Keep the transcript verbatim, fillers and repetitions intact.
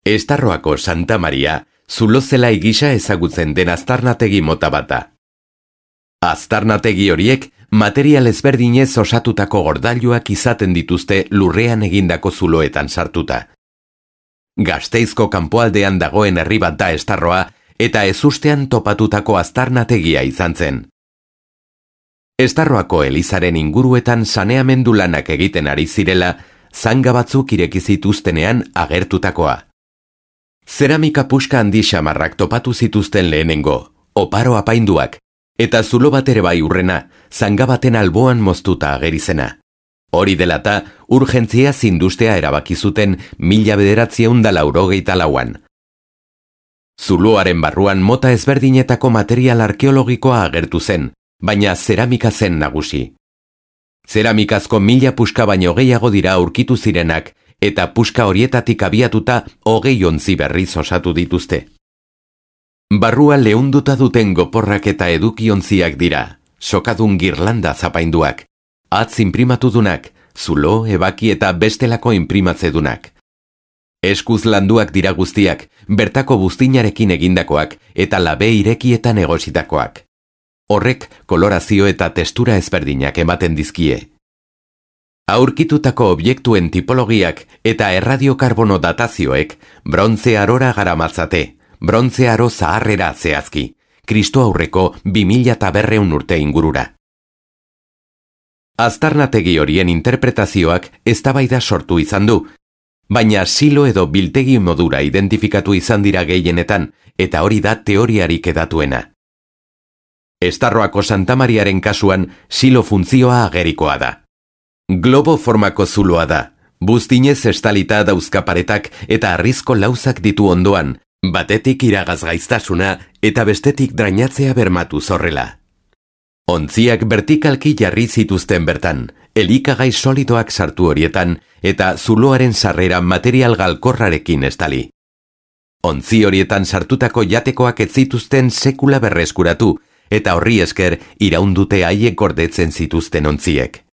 Estarroako Santa Maria, zulo zelai gisa ezagutzen den aztarnategi mota bata. Aztarnategi horiek material ezberdinez osatutako gordailuak izaten dituzte lurrean egindako zuloetan sartuta. Gasteizko kanpoaldean dagoen herri bat da Estarroa eta ezustean topatutako aztarnategia izan zen. Estarroako elizaren inguruetan saneamendu lanak egiten ari zirela, zanga batzuk ireki zituztenean agertutakoa. Zeramika puska handi xamarrak topatu zituzten lehenengo, oparo apainduak, eta zulo bat ere bai urrena, zanga baten alboan moztuta agerizena. Hori delata, urgentzia zindustea erabaki zuten mila bederatziehun eta laurogeita lauan. Zuloaren barruan mota ezberdinetako material arkeologikoa agertu zen, baina zeramika zen nagusi. Zeramikazko mila puska baino gehiago dira aurkitu zirenak, eta puska horietatik abiatuta hogei ontzi berriz osatu dituzte. Barrua leunduta duten goporrak eta edukiontziak dira, sokadun girlanda zapainduak, atz inprimatudunak, zulo, ebaki eta bestelako inprimatzedunak. Eskuz landuak dira guztiak, bertako buztinarekin egindakoak eta labe irekietan egositakoak. Horrek kolorazio eta testura ezberdinak ematen dizkie. Aurkitutako objektuen tipologiak eta erradiokarbono datazioek brontze arora garamatzate, brontze aro zaharrera zehazki, Kristo aurreko bi mila berrehun urte ingurura. Aztarnategi horien interpretazioak eztabaida sortu izan du, baina silo edo biltegi modura identifikatu izan dira gehienetan, eta hori da teoriarik edatuena. Estarroako Santa Mariaren kasuan silo funtzioa agerikoa da. Globo formako zuloa da, buztinez estalita dauzkaparetak eta arrizko lauzak ditu ondoan, batetik iragazgaiztasuna eta bestetik drainatzea bermatu zorrela. Ontziak vertikalki jarri zituzten bertan, elikagai solidoak sartu horietan eta zuloaren sarrera material galkorrarekin estali. Ontzi horietan sartutako jatekoak ez zituzten sekula berreskuratu eta horri esker iraundute haiek gordetzen zituzten ontziek.